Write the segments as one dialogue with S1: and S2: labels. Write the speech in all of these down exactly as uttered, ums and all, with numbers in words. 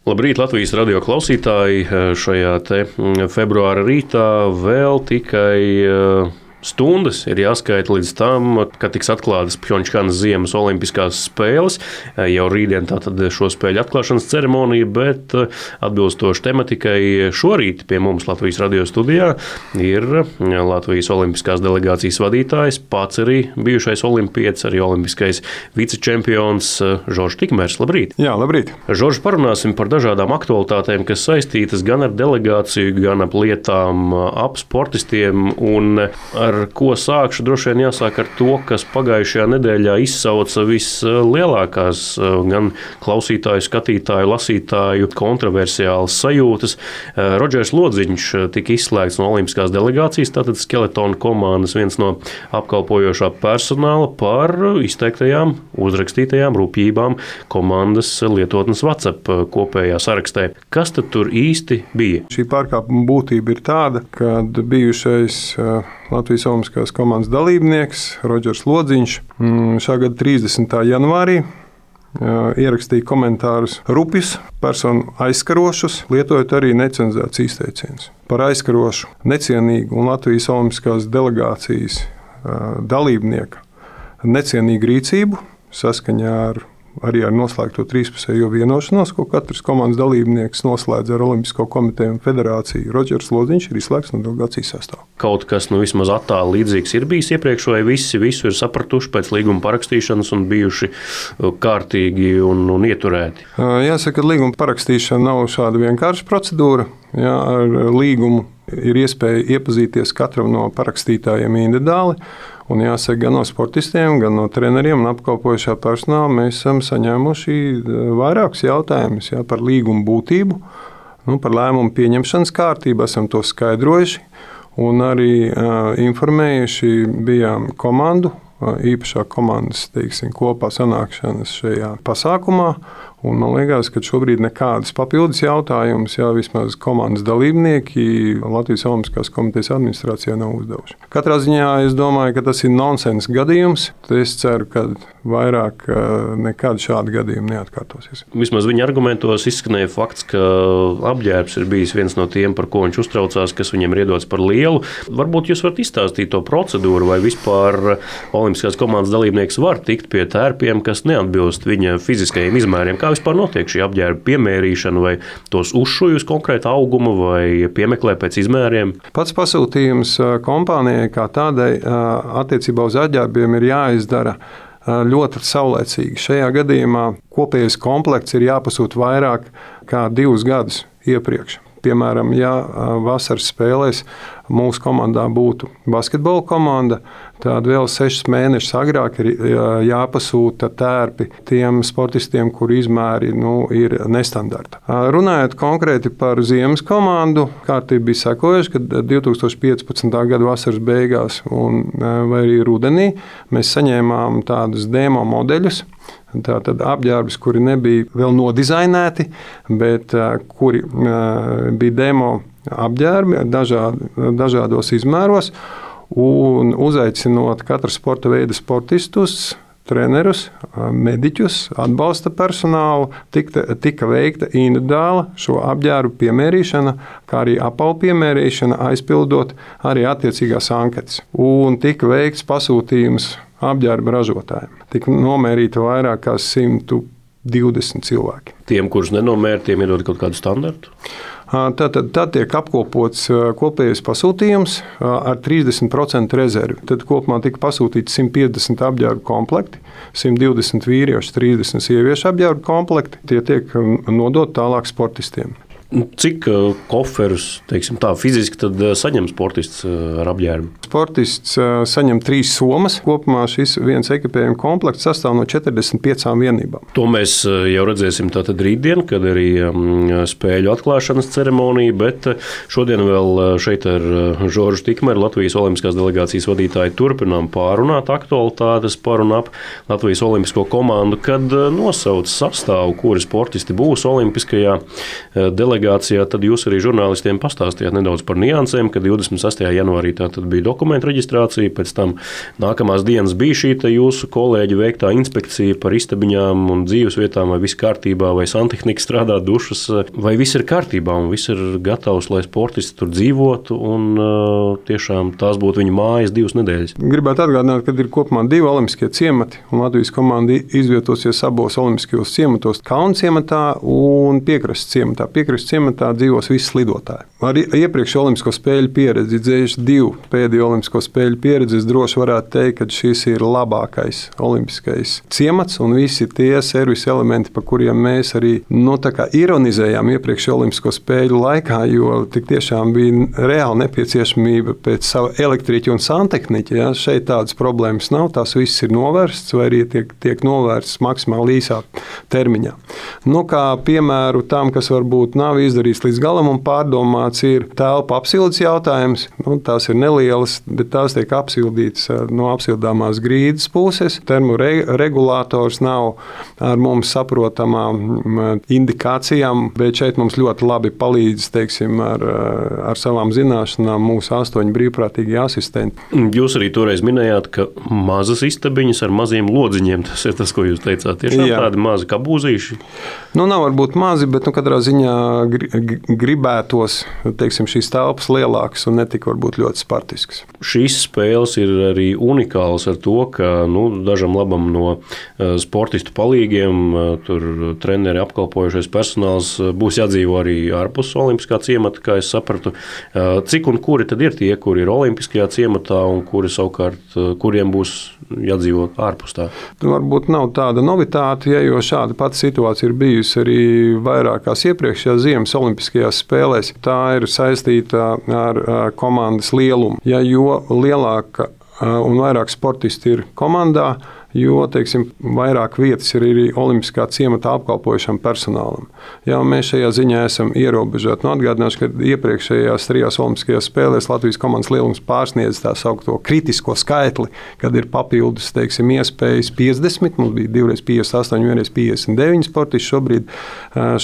S1: Labrīt, Latvijas radio klausītāji! Šajā te februāra rītā vēl tikai stundas ir jāskaita līdz tam, kad tiks atklātas Pjongčanas ziemas olimpiskās spēles. Jau rītdien tātad šo spēļu atklāšanas ceremonija, bet atbilstoši tematikai šorīt pie mums Latvijas radio studijā ir Latvijas olimpiskās delegācijas vadītājs, pats arī bijušais olimpietis, arī olimpiskais vicečempions Žoržs Tikmers. Labrīt!
S2: Jā, labrīt!
S1: Žorž, parunāsim par dažādām aktualitātēm, kas saistītas gan ar delegāciju, gan ap lietām, ap sportistiem un ar ko sākšu, droši vien jāsāk ar to, kas pagājušajā nedēļā izsauca vislielākās gan klausītāju, skatītāju, lasītāju kontroversiālas sajūtas. Rodžers Lodziņš tika izslēgts no olimpiskās delegācijas, tātad skeletona komandas viens no apkalpojošā personāla par izteiktajām, uzrakstītajām rupjībām komandas lietotnes WhatsApp kopējā sarakstē. Kas tad tur īsti bija?
S2: Šī pārkāpuma būtība ir tāda, kad bijušais Latvijas olimpiskās komandas dalībnieks Rodžers Lodziņš šā gada trīsdesmitā janvārī ierakstīja komentārus rupjus, personu aizskarošus, lietojot arī necenzētus izteicienus. Par aizskarošu, necienīgu un Latvijas olimpiskās delegācijas dalībnieka necienīgu rīcību saskaņā ar arī ar noslēgto trīspusējo vienošanos, ko katrs komandas dalībnieks noslēdz ar Olimpisko komiteju un federāciju. Rodžers Lodziņš ir izslēgts no delegācijas sastāvā.
S1: Kaut kas nu vismaz attāli līdzīgs ir bijis iepriekš, vai visi visu ir sapratuši pēc līguma parakstīšanas un bijuši kārtīgi un, un ieturēti?
S2: Jāsaka, ka līguma parakstīšana nav šāda vienkārša procedūra. Jā, ar līgumu ir iespēja iepazīties katram no parakstītājiem individuāli. Un jāsaka, gan no sportistiem, gan no treneriem un apkalpojošā personāla mēs esam saņēmuši vairākus jautājumus jā, par līgumu būtību, nu, par lēmumu pieņemšanas kārtību, esam to skaidrojuši un arī uh, informējuši bijām komandu, uh, īpašā komandas teiksim, kopā sanākšanas šajā pasākumā. Un man liekas, ka šobrīd nekādas papildus jautājumus, jā, vismaz komandas dalībnieki Latvijas Olimpiskās komitejas administrācijā nav uzdevuši. Katrā ziņā es domāju, ka tas ir nonsens gadījums. Es ceru, ka vairāk nekad šādi gadījumi neatkārtosies.
S1: Vismaz viņa argumentos izskanēja fakts, ka apģērbs ir bijis viens no tiem, par ko viņš uztraucās, kas viņam ir iedots par lielu. Varbūt jūs varat izstāstīt to procedūru, vai vispār Olimpiskās komandas dalībnieks var tikt pie tērpiem, kas neatbilst viņa fiziskajiem izmēriem. Kā vispār notiek šī apģērba piemērīšana, vai tos uzšuj uz konkrēta auguma, vai piemeklē pēc izmēriem?
S2: Pats pasūtījums kompānijai kā tādai attiecībā uz apģērbiem ir jāizdara ļoti saulēcīgi. Šajā gadījumā kopējais komplekts ir jāpasūta vairāk kā divus gadus iepriekš. Piemēram, ja vasaras spēlēs mūsu komandā būtu basketbola komanda, tad vēl sešus mēnešus agrāk ir jāpasūta tērpi tiem sportistiem, kuru izmēri nu, ir nestandarta. Runājot konkrēti par ziemas komandu, kārtība bija sekojoša, kad divi tūkstoši piecpadsmitā gada vasaras beigās un vai arī rudenī mēs saņēmām tādus demo modeļus. Tātad apģērbus, kuri nebija vēl nodizainēti, bet kuri bija demo apģērbi dažād, dažādos izmēros, un uzaicinot katru sporta veidu sportistus, trenerus, mediķus, atbalsta personālu, tika, tika veikta individuāla šo apģērbu piemērīšana, kā arī apavu piemērīšana, aizpildot arī attiecīgās anketas. Un tika veikts pasūtījums apģērba ražotājiem. Tika nomērīta vairāk kā simt divdesmit cilvēki.
S1: Tiem, kurus nenomēra, tiem iedod kaut kādu standartu?
S2: Tad, tad, tad tiek apkopots kopējais pasūtījums ar trīsdesmit procentu rezervi. Tad kopumā tika pasūtīti simt piecdesmit apģērbu komplekti, simt divdesmit vīriešu, trīsdesmit sieviešu apģērbu komplekti. Tie tiek nodot tālāk sportistiem.
S1: Cik koferus, teiksim tā, fiziski tad saņem sportists ar apģērbu?
S2: Sportists saņem trīs somas. Kopumā šis viens ekipējuma komplekts sastāv no četrdesmit piecām vienībām.
S1: To mēs jau redzēsim tātad rītdien, kad arī spēļu atklāšanas ceremonija, bet šodien vēl šeit ar Žoržu Tikmeru, Latvijas Olimpiskās delegācijas vadītāju, turpinām pārunāt aktualitātes par un ap Latvijas olimpisko komandu, kad nosauc sastāvu, kuri sportisti būs olimpiskajā delegācijā. Tad jūs arī žurnālistiem pastāstījāt nedaudz par niansēm, ka divdesmit sastajā janvārī tā tad bija dokumentu reģistrācija, pēc tam nākamās dienas bija šī jūsu kolēģi veiktā inspekcija par istabiņām un dzīvesvietām, vai viss kārtībā, vai santehnika strādā, dušas, vai viss ir kārtībā un viss ir gatavs, lai sportisti tur dzīvotu un uh, tiešām tās būtu viņa mājas divas nedēļas.
S2: Gribētu atgādināt, ka ir kopumā divi olimpiskie ciemati, un Latvijas komanda izvietosies abos olimpiskajos ciematos, Kalnu ciematā un Piekrastes ciematā. Piekrastes ciematā dzīvos visi slidotāji. Ar iepriekš olimpisko spēļu pieredzi, dzējuši divu pēdējo olimpisko spēļu pieredzi, es droši varētu teikt, ka šis ir labākais olimpiskais ciemats un visi tie servisa elementi, par kuriem mēs arī nu, ironizējām iepriekšējo olimpisko spēļu laikā, jo tik tiešām bija reāla nepieciešamība pēc sava elektriķa un santehniķa. Ja? Šeit tādas problēmas nav, tās viss ir novērsts vai arī tiek, tiek novērsts maksimāli īsā termiņā. Nu, kā piemēru tam, kas varbūt nav izdarīts līdz galam un pārdomāts, ir telpa apsildes jautājums. Nu, tās ir nelielas, bet tās tiek apsildītas no apsildāmās grīdas puses. Termoregulātors nav ar mums saprotamām indikācijām, bet šeit mums ļoti labi palīdz, teiksim, ar, ar savām zināšanām mūsu astoņi brīvprātīgie asistenti.
S1: Jūs arī toreiz minējāt, ka mazas istabiņas ar maziem lodziņiem, tas ir tas, ko jūs teicāt. Tiešām Jā. Tādi mazi kabūzīši?
S2: Nu, nav varbūt mazi, bet nu, katrā ziņā gribētos, teiksim, šīs telpas lielākas un netika varbūt ļoti spartiskas.
S1: Šīs spēles ir arī unikālas ar to, ka nu, dažam labam no sportistu palīgiem, tur treneri apkalpojušais personāls būs jādzīvo arī ārpus olimpiskā ciemata, kā es sapratu. Cik un kuri tad ir tie, kuri ir olimpiskajā ciematā un kuri savukārt, kuriem būs jādzīvo ārpus tā?
S2: Varbūt nav tāda novitāte, ja, jo šāda pati situācija ir bijusi arī vairākās iepriekšējās ziemas olimpiskajās spēlēs. Tā ir saistīta ar komandas lielumu. Ja, jo lielāka un vairāk sportisti ir komandā, jo, teiksim, vairāk vietas ir arī olimpiskā ciematā apkalpojušam personālam. Jā, mēs šajā ziņā esam ierobežoti. Nu, atgādināšu, ka iepriekšējās trijās olimpiskajās spēlēs Latvijas komandas lielums pārsniedz tā saukto kritisko skaitli, kad ir papildus, teiksim, iespējas piecdesmit, mums bija divreiz piecdesmit astoņi, vienreiz piecdesmit deviņi sportisti, šobrīd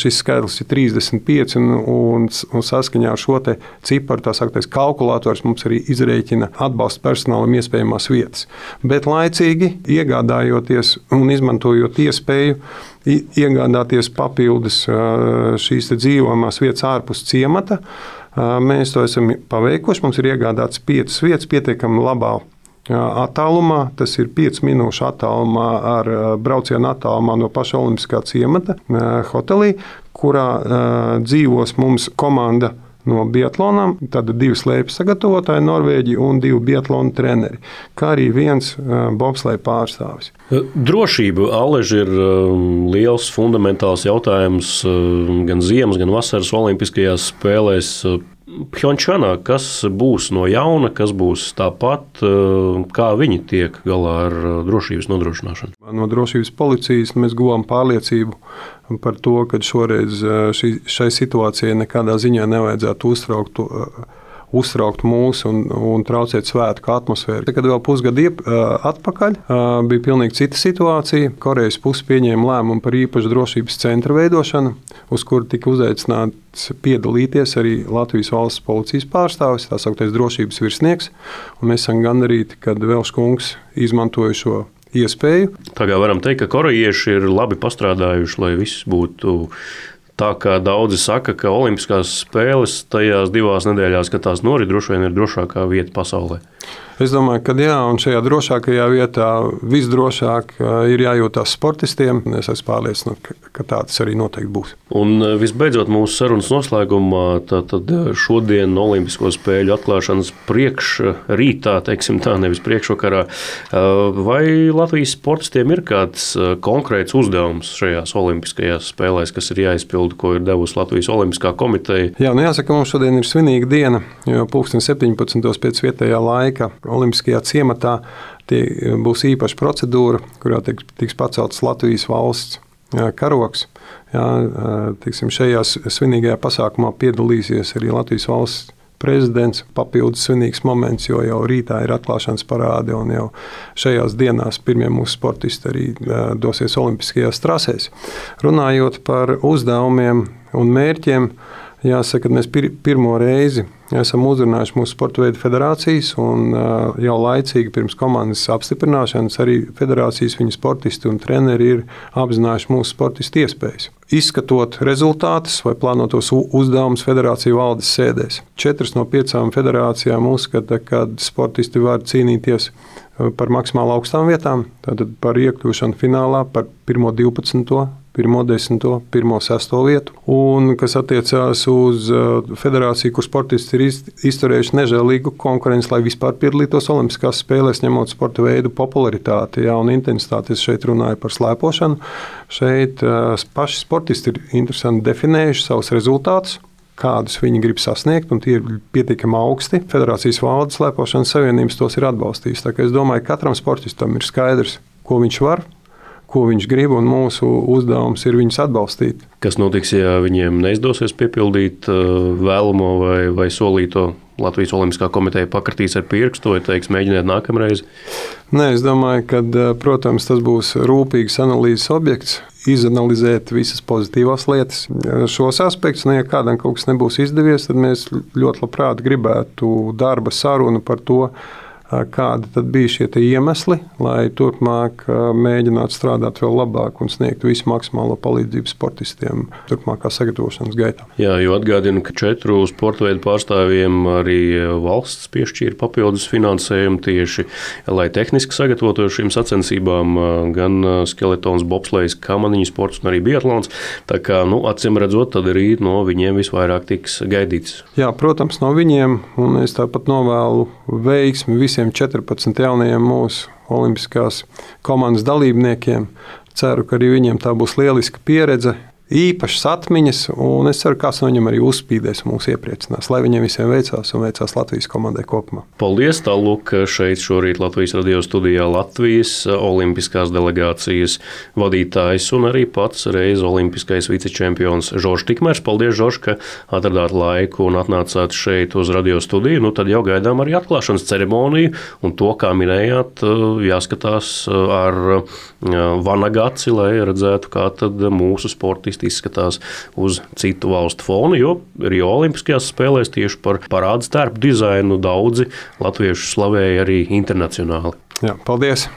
S2: šis skaitlis ir trīsdesmit pieci un, un, un saskaņā ar šo te ciparu, tā sauktais kalkulators, mums arī izrēķina atbalsta personālam iespējamās vietas. Bet laicīgi iegādāties iegādājoties un izmantojot iespēju iegādāties papildus šīs dzīvojamās vietas ārpus ciemata, mēs to esam paveikuši. Mums ir iegādāts piecas vietas pietiekami labā attālumā. Tas ir piecas minūšu attālumā ar braucienu attālumā no paša olimpiskā ciemata hotelī, kurā dzīvos mums komanda no biatlonām, tad divi slēpju sagatavotāji Norvēģi un divi biatlonu treneri, kā arī viens bobsleja pārstāvis.
S1: Drošība, Aleži, ir liels fundamentāls jautājums gan ziemas, gan vasaras olimpiskajās spēlēs. Pjončānā, kas būs no jauna, kas būs tāpat, kā viņi tiek galā ar drošības nodrošināšanu?
S2: No drošības policijas mēs guvām pārliecību par to, ka šoreiz šī, šai situācijai nekādā ziņā nevajadzētu uztraukt, uztraukt mūs un, un traucēt svētku atmosfēru. Kad vēl pusgadu iep, atpakaļ bija pilnīgi cita situācija. Korejas puse pieņēma lēmumu par īpašu drošības centra veidošanu, uz kuru tika uzaicināts piedalīties arī Latvijas valsts policijas pārstāvis, tā sauktais drošības virsnieks. Un mēs esam gandarīti, kad Velš kungs izmantoja šo iespēju.
S1: Tā kā varam teikt, ka korejieši ir labi pastrādājuši, lai viss būtu tā, kā daudzi saka, ka olimpiskās spēles tajās divās nedēļās, kad tās norit, droši vien ir drošākā vieta pasaulē.
S2: Es domāju, ka jā, un šajā drošākajā vietā visdrošāk ir jājūtās sportistiem. Es esmu pārliecināts, ka tā tas arī noteikti būs.
S1: Un visbeidzot mūsu sarunas noslēgumā, tad šodien Olimpisko spēļu atklāšanas priekšrītā, teiksim tā, nevis priekšvakarā, vai Latvijas sportistiem ir kāds konkrēts uzdevums šajās olimpiskajās spēlēs, kas ir jāizpilda, ko ir devusi Latvijas Olimpiskā komiteja?
S2: Jā, nu jāsaka, mums šodien ir svinīga diena, jo pulksten septiņpadsmitos pēc vietējā laika Olimpiskajā ciematā būs īpaša procedūra, kurā tiks pacelts Latvijas valsts karogs. Jā, tiksim, šajā svinīgajā pasākumā piedalīsies arī Latvijas valsts prezidents. Papildus svinīgs moments, jo jau rītā ir atklāšanas parāde un jau šajās dienās pirmie mūsu sportisti arī dosies olimpiskajās trasēs. Runājot par uzdevumiem un mērķiem, Jāsaka, mēs pir pirmo reizi esam uzrunājuši mūsu sporta veidu federācijas, un uh, jau laicīgi pirms komandas apstiprināšanas arī federācijas, viņu sportisti un treneri ir apzinājuši mūsu sportistu iespējas. Izskatot rezultātus vai plānotos uzdevumus federāciju valdes sēdēs. Četras no piecām federācijām uzskata, ka sportisti var cīnīties par maksimāli augstām vietām, tātad par iekļūšanu finālā, par pirmo divpadsmito, pirmo desmito, pirmo sesto vietu. Un, kas attiecās uz federāciju, kur sportisti ir izturējuši nežēlīgu konkurenci, lai vispār piedalītos Olimpiskās spēlēs, ņemot sporta veidu popularitāti, jā, un intensitāti. Es šeit runāju par slēpošanu. Šeit paši sportisti ir interesanti definējuši savus rezultātus, kādus viņi grib sasniegt, un tie ir pietiekami augsti. Federācijas valdes slēpošanas savienības tos ir atbalstījis. Tā kā es domāju, ka katram sportistam ir skaidrs, ko viņš var, ko viņš grib, un mūsu uzdevums ir viņus atbalstīt.
S1: Kas notiks, ja viņiem neizdosies piepildīt vēlamo vai, vai solīto? Latvijas Olimpiskā komiteja pakratīs ar pirkstu vai teiks, mēģiniet nākamreiz?
S2: Nē, es domāju, ka, protams, tas būs rūpīgs analīzes objekts, izanalizēt visas pozitīvās lietas. Šos aspektus, ne, ja kādam kaut kas nebūs izdevies, tad mēs ļoti labprāt gribētu darba sarunu par to, kādi tad bija šie iemesli, lai turpmāk mēģinātu strādāt vēl labāk un sniegt visu maksimālo palīdzību sportistiem turpmākā sagatavošanas gaitā.
S1: Jā, jo atgādinu, ka četru sporta veidu pārstāvjiem arī valsts piešķīra papildus finansējumu tieši, lai tehniski sagatavotos šīm sacensībām, gan skeletons, bobslejs, kamaniņu sports un arī biatlons. Tā kā, nu, acīm redzot, tad arī no viņiem visvairāk tiks gaidīts.
S2: Jā, protams, no viņiem, un es tāpat novēlu veiksmi visiem visiem četrpadsmit jaunajiem mūsu olimpiskās komandas dalībniekiem. Ceru, ka arī viņiem tā būs lieliska pieredze, īpašas atmiņas, un es ceru, ka kāds no viņiem arī uzspīdēs un mūs iepriecinās, lai viņiem visiem veicās un veicās Latvijas komandai kopumā.
S1: Paldies, tālūk, šeit šorīt Latvijas radio studijā Latvijas olimpiskās delegācijas vadītājs un arī pats reiz olimpiskais vicečempions Žoržs Tikmers. Paldies, Žorž, ka atradāt laiku un atnācāt šeit uz radio studiju. Nu, tad jau gaidām arī atklāšanas ceremoniju, un to, kā minējāt, jāskatās ar vanagaci, lai redzētu, kā tad mūsu sportisti izskatās uz citu valstu fonu, jo Rio Olimpiskajās spēlēs tieši par parādu stērpu dizainu daudzi latviešu slavēja arī internacionāli.
S2: Jā, paldies!